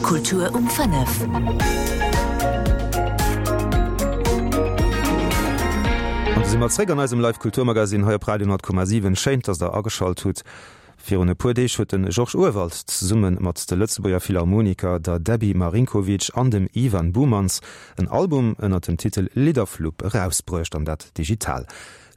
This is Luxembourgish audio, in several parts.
Kultur um 5. An do si mer zréck an eisem Live Kulturmagazine hei op Radio 10,7. Schéin, dass der ageschalt hutt. Virun e puer Deeg huet de Georges Urwald zesumme mat de Lëtzebuerger Philharmoniker, der Debbie Marinkovic an dem Ivan Boumans en Album ënner dem Titel Lidderflupp erausbruecht, an dat digital.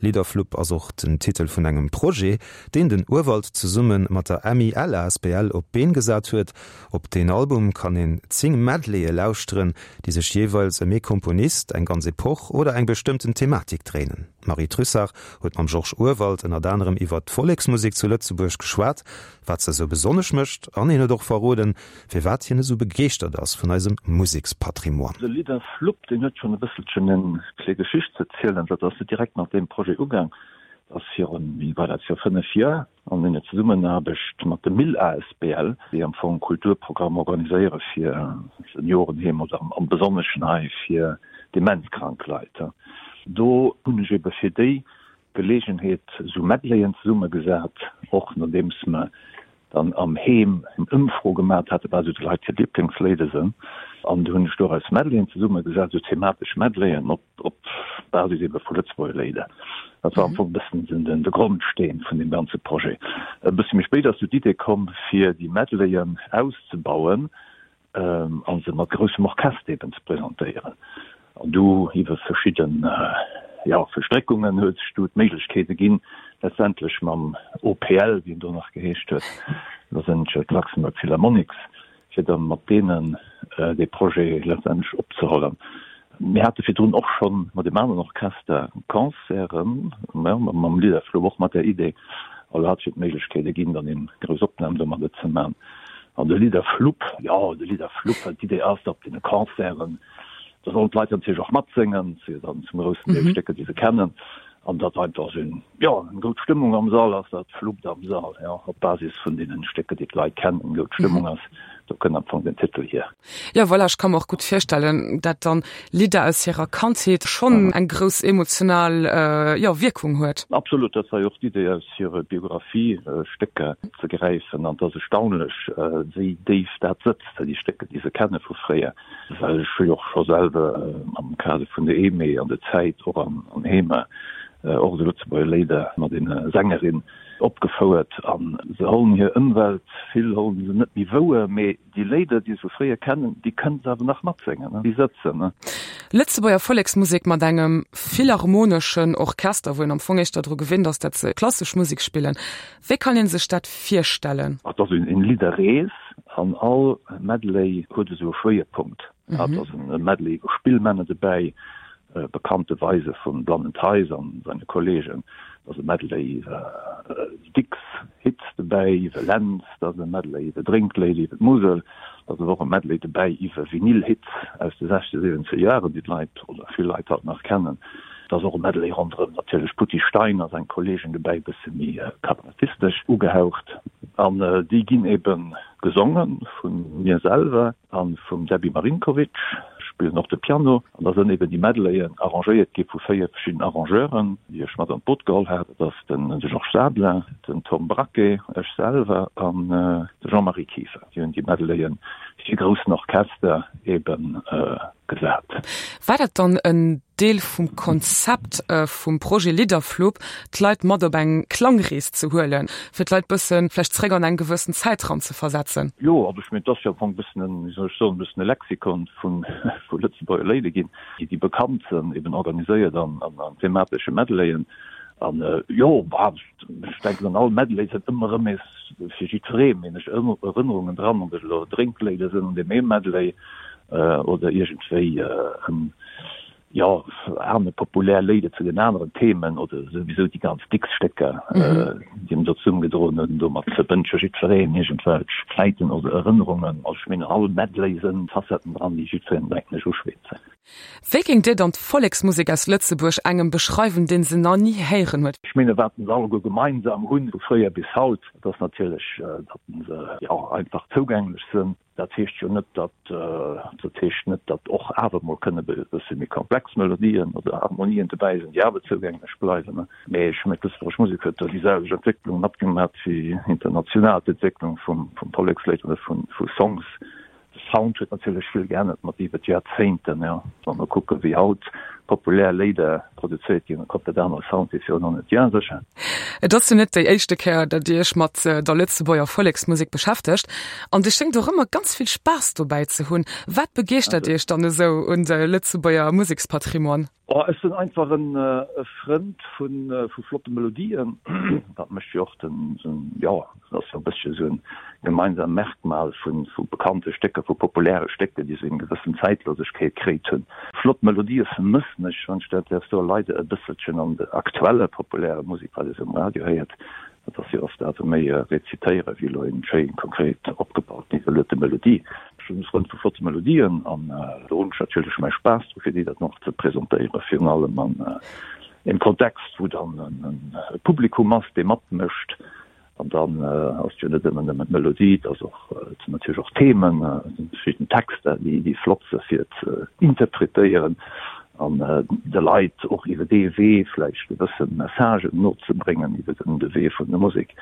Lidderflupp ass och den Titel vun engem Projet, deen den Urwald zesumme mat der MIL asbl op d'Been gesat huet. Op deen Album kann een 10 Medleye lauschteren, déi sech jeeweils ëm ee Komponist, eng ganz Epoch oder eng bestëmmten Thematik dréinen. D'Marie Trussart huet mam Georges Urwald ënnert anerem iwwert d'Volleksmusek zu Lëtzebuerg geschwat, wat se esou besonnesch mécht an hien huet och verroden, firwat hien esou begeeschtert ass vun eisem Musekspatrimoine. De Lidderflupp, deen huet schonn e bësselchen eng kléng Geschicht ze zielen. Dat ass net direkt mat deem Projet ugaang. Dat ass virun, wéini war dat, viru 5 Joer an enger Zesummenaarbecht mat dem Mil asbl, déi am Fong Kulturprogramm organiséiere fir Seniorenheem oder am Besonneschen hei fir demenzkrank Leit. Do hunn ech ebe fir déi Geleegenheet esou Medleyen zesummegesat, och nodeems mer dann am Heem eng Ëmfro gemat haten, wat esou de Leit hir Liblingsléider sënn. An du hunn ech doraus Medleyen zesummegesat, esou thematesch Medleyen op op Basis ebe vu Lëtzebuerger Léider. Dat war am Fong e bëssen den de Grondsteen vun deem ganze Projet. E bësse méi spéit ass du d'Idee komm, fir déi Medleyen auszebauen a se mat groussem Orchester eben ze presentéieren. An du iwwer verschidden, jo, Verstréckungen huet sech du d'Méiglechkeet erginn, letztendlech mam OPL, wéi en do nach geheescht huet, Los Angeles Luxembourg Philharmonics, fir da mat deenen dee Projet letztendlech opzehollen. Mir hate virdrun och scho mat deem aneren Orchester Concerten, mam Liederfluch, och mat där Idee. Also hat sech d'Méiglechkeet erginn, dann eng grouss Opnam domadder ze man. An de Lidderflupp, jo, de Lidderflupp, well d'Idee ass, op deene Concerten, da sollen d'Leit natierlech och matséngen, et si jo dann zum groussen Deel Stécker, déi se kennen, an datt einfach esou eng, jo, eng goud Stëmmung am Sall ass, dat fluppt am Sall, jo, op Basis vun deenen Stécker, déi d'Leit kennen, eng goud Stëmmung ass, do kënnt am Fong den Titel hier. Jo, voilà, ech ka mer och gutt virstellen, dat dann Lidder aus hirer Kandheet schonn eng grouss emotional, jo, Wierkung huet. Absolut, dat war jo och d'Idee, aus hire Biographie Stécker ze gräifen. An et ass erstaunlech, wéi déif dat sëtzt, déi Stécker, déi se kenne vu fréier. Well ech hu jo och scho selwer am Kader vun der EME an der Zäit och an Heemer och esou Lëtzebuerger Léider mat ene Sängerin opgefouert. A se hollen hir Ëmwelt, vill hollen se net méi wouer, mee Déi Léider, déi se vu fréier kennen, déi kënnen se awer nach matséngen, déi sëtzen. Lëtzebuerger Volleksmusek mat engem philharmoneschen Orchester, wou een am Fong éischter dru gewinnt ass, dat se klassesch Musek spillen. Wéi kann ee sech dat virstellen? Et ass eng Lidderrees an all Medley huet esou e Schwéierpunkt. Et ass e Medley iwwer Spillmänner dobäi, bekannte Weise vum Blannen Theis an seine Kollegen, et ass e Medley iwwer Dicks Hits dobäi, iwwer Lentz, et ass e Medley iwwer Drénkléider, iwwer d'Musel, et ass awer och e Medley dobäi iwwer Vinyl-Hits aus de sechzeger, siwwenzeger Jaren, déi d'Leit oder vill Leit haut nach kennen. Et ass och e Medley ronderëm natierlech Poutty Stein a seng Kollegen dobäi, e bësse méi kabarettistesch ugehaucht. An déi ginn ebe gesonge vu mir selwer. A vum Debbie Marinkovic spillen och de Piano. An da sënn eben déi Medleyen arrangéiert gi vu 4 verschidden Arrangeuren, déi ech mat an d'Boot geholl hat. Dat ass den Georges Sablin, den Tom Braquet, ech selwer an de Jean-Marie Kieffer. Déi hunn déi Medleyen fir groussen Orchester eben gesat. War dat dann en Deel vum Konzept vum Projet Lidderflupp, d'Leit mat op eng Klangrees ze huelen, fir d'Leit bëssen vläicht zréck an eng gewëssen Zäit ran ze versetzen? Jo, also ech mengen, et ass jo am Fong e bëssen en, wéi soll ech soen, e bëssen e Lexikon vu vu Lëtzebuerger Léider ginn, déi déi bekannt sënn, eben organiséiert an an thematesche Medleyen. An jo, bah, ech denken an all Medley sënn ëmmer erëm nees fir jiddweree, meen ech, Erënnerungen dran, ob et elo Drénkléider sënn an deem ee Medley oder iergendwéi en, jo, aner populär Léider zu den aneren Themen oder souwisou déi ganz Dicks-Stécker, déi en do zesummegedroen huet. An domat verbënnt jo jiddwereen iergendwelch Zäiten oder Erënnerungen. Also ech mengen, all Medley sënn Facetten dran, déi jiddwereen, denken ech, uschwätzen. Wéi géingt Dir dann d'Volleksmusek aus Lëtzebuerg engem beschreiwen, deen se nach ni héieren huet? Ech mengen, wat se alleguer gemeinsam hunn, vu fréier bis haut, dat ass natierlech, datt se, jo, einfach zougänglech sënn. Dat heescht jo net, datt, dat heescht net, datt och awer mol kënne e bësse méi komplex Melodien oder Harmonien dobäi sinn, déi awer zougänglech bleiwen. Mee ech mengen, d'lëtzebuergesch Musek huet do déi selwecht Entwécklung matgemat wéi international d'Entwécklung vum, vum Vollekslied oder vu, vu Songs. Sound huet natierlech vill geännert mat iwwer d'Joerzéinten, jo. Wa mer kucke wéi haut populär Léider produzéiert ginn, e komplett anere Sound wéi virun 100 Joer sécher. Et ass jo net déi éischte Kéier, datt Dir Iech mat der Lëtzebuerger Volleksmusek beschäftegt an Dir schéngt och ëmmer ganz vill Spaass dobäi ze hunn. Wat begeeschtert Iech dann esou un de Lëtzebuerger Musekspatrimoine? Oh, ech sinn einfach en Frënd vu flotte Melodien. Dat mécht jo och den, jo, dat ass jo e bëssche esou en gemeinsam Merkmal vu bekannte Stécker, vu populäre Stécker, déi esou eng gewëssen Zäitlosegkeet kritt hunn. Flott Melodië vermëssen ech, wann ech dat däerf soen, leider e bësselchen an der aktueller populärer Musek, wat ee sou um Radio héiert. Dat ass jo oft awer méi rezitéiere wéi elo eng schéin, konkret opgebauten, isoléierte Melodie. Ech sinn e Frënd vu flotte Melodien an do hunn ech natierlech mäi Spaass dru fir déi dann och ze presentéieren, virun allem an engem Kontext, wou dann e Publikum ass, dee matmécht. An dann ass et jo net ëmmer nëmmen d'Melodie, et ass och, et sinn natierlech och Themen, et sinn verschidden Texter, déi flott si fir ze interpretéieren an de Leit och iwwer dee Wee vläicht gewësse Messagen nozebréngen, iwwer de Wee vun der Musek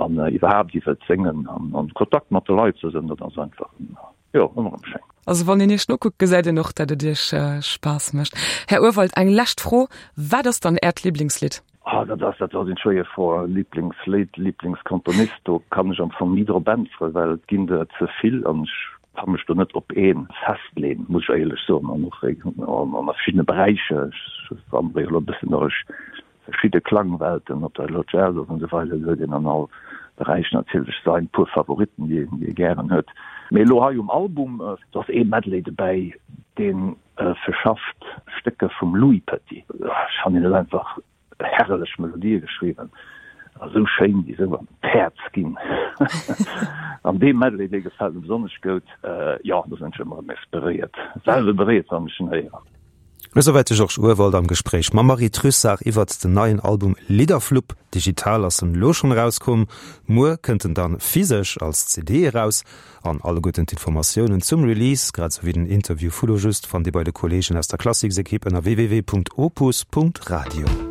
an iwwerhaapt iwwer d'Séngen an an Kontakt mat de Leit ze sinn, dat ass einfach, jo, ëmmer erëm schéin. Also wann een Iech nokuckt, gesäit een och, datt et Iech Spaass mécht. Här Urwald, eng lescht Fro, Wat ass dann Äert Liblingslidd? Ah, dat ass, dat ass eng schwéier Fro. Liblingslidd, Liblingskomponist, do kann ech am Fong ni drop äntweren, well et ginn der ze vill an ech ka mech do net op ee festleen, muss ech éierlech soen. An och an a verschiddene Beräicher, ech wandere jo elo e bëssen duerch verschidde Klangwelten, ob dat elo Jazz ass an esou weider, do huet een an all Beräich natierlech sain puer Favoritten, déi een, déi ee gären huet. Mee elo hei um Album, do ass ee Medley dobäi, deen verschafft Stécker vum Louis Petit. Ech fannen hien huet einfach herrlech Melodië geschriwwen, esou schéin, déi esou an d'Häerz ginn. An dee Medley, dee gefält mir besonnesch goud. Jo, do sinn ech ëmmer erëm beréiert, selwer beréiert, wann ech en héieren. Esouwäit de Georges Urwald am Gespréich mam Marie Trussart iwwert den neien Album Lidderflupp. Digital ass en elo schonn erauskomm, muer kënnt en dann physesch als CD eraus. An alleguerten d'Informatiounen zum Release, grad esou wéi den Interview vu lo just, fannt Dir bei de Kolleegen aus der Classics-Ekipp ënner www.opus.radio.